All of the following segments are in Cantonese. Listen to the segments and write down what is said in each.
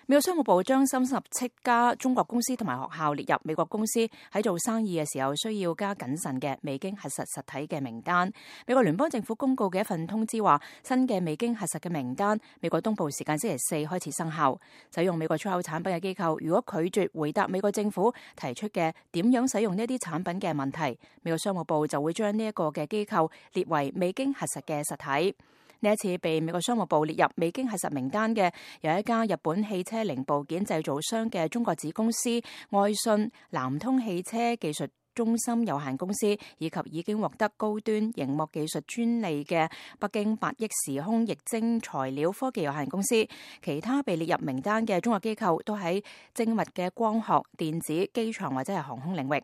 美國商務部將37家中國公司同埋學校列入美國公司喺做生意嘅時候需要加謹慎嘅未經核實實體嘅名單。美國聯邦政府公告嘅一份通知話，新嘅未經核實嘅名單，美國東部時間星期四開始生效。使用美國出口產品嘅機構，如果拒絕回答美國政府提出嘅點樣使用呢啲產品嘅問題，美國商務部就會將呢一個嘅機構列為未經核實嘅實體。呢一次被美國商務部列入未經核實名單嘅，有一家日本汽車零部件製造商嘅中國子公司愛信南通汽車技術中心有限公司，以及已經獲得高端螢幕技術專利嘅北京8億時空液晶材料科技有限公司。其他被列入名單嘅中國機構都喺精密嘅光學、電子、機床或者係航空領域。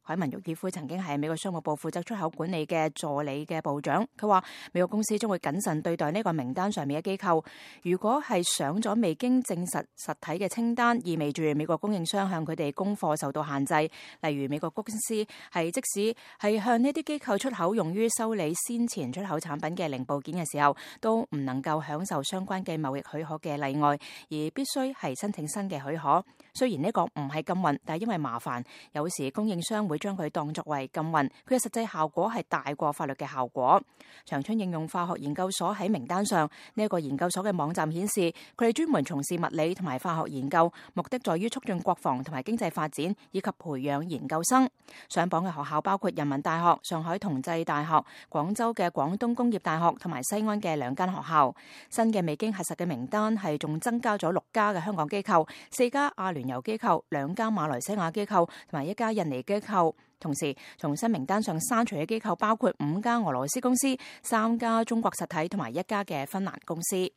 海文沃爾夫曾經係美國商務部負責出口管理嘅助理嘅部長，佢話美國公司將會謹慎對待呢個名單上面嘅機構。如果係上咗未經證實實體嘅清單，意味住美國供應商向佢哋供貨受到限制。例如美國公司係即使係向呢啲機構出口用於修理先前出口產品嘅零部件嘅時候，都唔能夠享受相關嘅貿易許可嘅例外，而必須係申請新嘅許可。雖然呢個唔係禁運，但係因為麻煩，有時供應商會將佢當作為禁運，佢嘅實際效果係大過法律嘅效果。長春應用化學研究所喺名單上，呢一個研究所嘅網站顯示，佢哋專門從事物理同埋化學研究，目的在於促進國防同埋經濟發展，以及培養研究生。上榜嘅學校包括人民大學、上海同濟大學、廣州嘅廣東工業大學同埋西安嘅2間學校。新嘅未經核實嘅名單係仲增加咗6家嘅香港機構、4家阿聯酋機構、2家馬來西亞機構同埋1家印尼機構。同時，從新名單上刪除嘅機構包括5家俄羅斯公司、3家中國實體同埋1家嘅芬蘭公司。